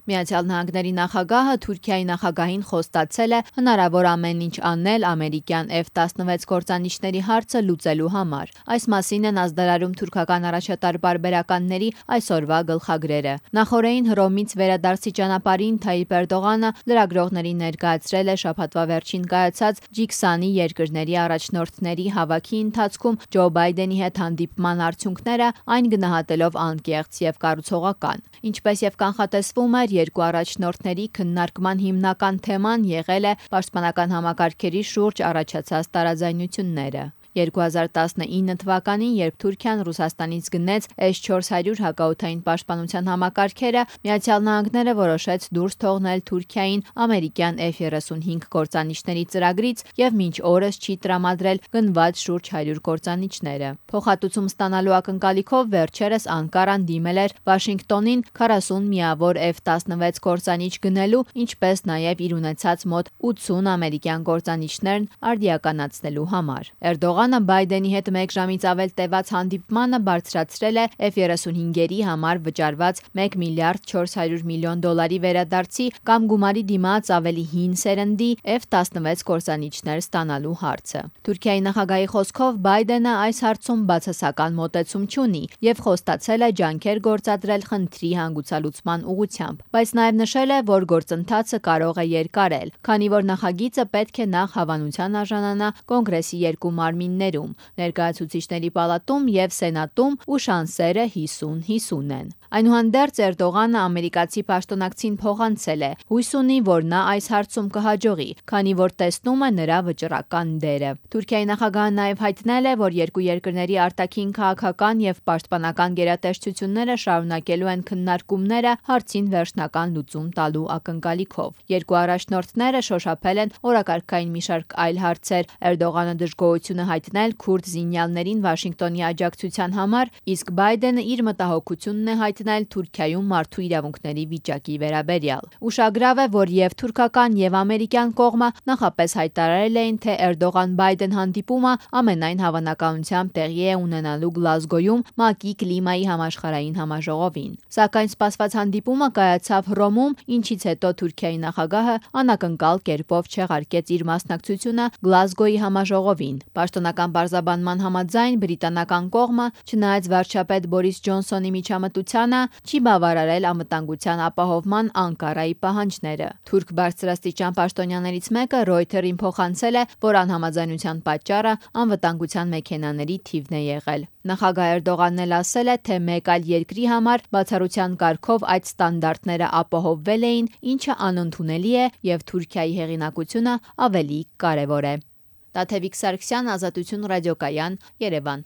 Միացյալ Նահանգների նախագահը Թուրքիայի նախագահին խոստացել է հնարավոր ամեն ինչ անել ամերիկյան F-16 կործանիչների հարցը լուծելու համար։ Այս մասին են ազդարարում թուրքական առաջատար պարբերականների այսօրվա գլխագրերը։ Նախորդին Հռոմից վերադարձի ճանապարհին Թայիպ Էրդողանը լրագրողներին ներկայացրել է շաբաթվա վերջին կայացած G20 երկրների առաջնորդների հավաքի ընթացքում Ջո Բայդենի հետ հանդիպման արդյունքները, այն գնահատելով անկեղծ եւ կառուցողական։ Ինչպես եւ կանխատեսվում էր, երկու առաջնորդների քննարկման հիմնական թեման եղել է պաշտպանական համակարգերի շուրջ առաջացած տարաձայնությունները։ 2019 թվականին, երբ Թուրքիան Ռուսաստանից գնեց S-400 հակաօդային պաշտպանության համակարգերը, Միացյալ Նահանգները որոշեց դուրս թողնել Թուրքիային ամերիկյան F-35 կործանիչների ծրագրից եւ մինչ օրս չի տրամադրել գնված շուրջ 100 կործանիչները։ Փոխհատուցում ստանալու ակնկալիքով վերջերս Անկարան դիմել էր Վաշինգտոնին 40 միավոր F-16 կործանիչ գնելու, ինչպես նաեւ իր ունեցած մոտ 80 ամերիկյան կործանիչներն արդիականացնելու համար։ Էրդողանը Բայդենի հետ 1 ժամից ավել տևած հանդիպմանը բարձրացրել է F-35-երի համար վճարված $1 միլիարդ 400 միլիոն վերադարձի կամ գումարի դիմաց ավելի հին սերնդի F-16 կործանիչներ ստանալու հարցը։ Թուրքիայի նախագահի խոսքով Բայդենը այս հարցում բացասական մոտեցում չունի եւ խոստացել է ջանքեր գործադրել խնդրի հանգուցալուծման ուղղությամբ, բայց նաեւ նշել է, որ գործընթացը կարող է երկարել, քանի որ նախագիծը պետք է նախ հավանության արժանանա Կոնգրեսի երկու մարմիններում՝ Ներկայացուցիչների պալատում եւ Սենատում, ու շանսերը 50-50 են։ Այնուհանդերձ Էրդողանը ամերիկացի պաշտոնակցին փոխանցել է, հույս ունի, որ նա այս հարցում կհաջողի, քանի որ տեսնում է նրա վճռական դերը։ Թուրքիայի նախագահը նաև հայտնել է, որ երկու երկրների արտաքին քաղաքական եւ պաշտպանական գերատեսչությունները շարունակելու են քննարկումները հարցին վերջնական լուծում տալու ակնկալիքով։ Երկու առաջնորդները շոշափել են օրակարգային մի շարք այլ հարցեր։ Էրդողանը դժգոհություն է հայտնել քուրդ զինյալներին Վաշինգտոնի աջակցության համար, իսկ Բայդենը իր մտահոգությունն է հայտնել Թուրքիայում մարդու իրավունքների վիճակի վերաբերյալ։ Ուշագրավ է, որ եւ թուրքական եւ ամերիկյան կողմը նախապես հայտարարել էին, թե Էրդողան-Բայդեն հանդիպումը ամենայն հավանականությամբ տեղի է ունենալու Գլազգոյում ՄԱԿ-ի կլիմայի համաշխարհային համաժողովին։ Սակայն սպասված հանդիպումը կայացավ Հռոմում, ինչից հետո Թուրքիայի նախագահը անակնկալ կերպով չեղարկեց իր մասնակցությունը Գլազգոյի համաժողովին։ Պաշտոնական պարզաբանման համաձայն բրիտանական կողմը, չնայած վարչապետ Բորիս Ջոնսոնի միջամտությանը, չի բավարարել անվտանգության ապահովման Անկարայի պահանջները։ Թուրք բարձրաստիճան պաշտոնյաներից մեկը Reuters-ին փոխանցել է, որ անհամաձայնության պատճառը անվտանգության մեքենաների թիվն է եղել։ Նախագահ Էրդողանն էլ ասել է, թե մեկ այլ երկրի համար բացառության կարգով այդ ստանդարտները ապահովվել էին, ինչը անընդունելի է եւ Թուրքիայի հեղինակությունը ավելի կարեւոր է։ Տաթևիկ Սարգսյան, Ազատություն ռադիոկայան, Երևան։